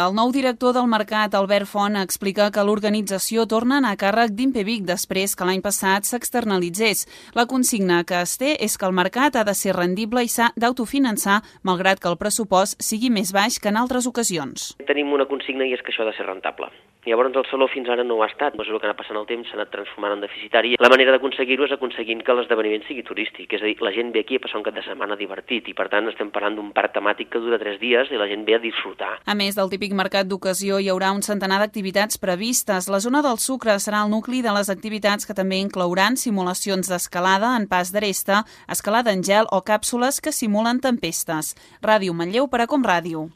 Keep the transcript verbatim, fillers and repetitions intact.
El nou director del mercat, Albert Font, explica que l'organització torna a anar a càrrec d'Impevic després que l'any passat s'externalitzés. La consigna que es té és que el mercat ha de ser rendible i s'ha d'autofinançar, malgrat que el pressupost sigui més baix que en altres ocasions. Tenim una consigna i és que això ha de ser rentable. Llavors el saló fins ara no ho ha estat. A mesura que anat passant el temps s'ha anat transformant en deficitari. La manera d'aconseguir-ho és aconseguint que l'esdeveniment sigui turístic. És a dir, la gent ve aquí a passar un cap de setmana divertit i per tant estem parlant d'un parc temàtic que dura tres dies i la gent ve a disfrutar. A més del típic mercat d'ocasió, hi haurà un centenar d'activitats previstes. La zona del Sucre serà el nucli de les activitats que també inclouran simulacions d'escalada en pas d'aresta, escalada en gel o càpsules que simulen tempestes. Ràdio Manlleu per a Com Ràdio.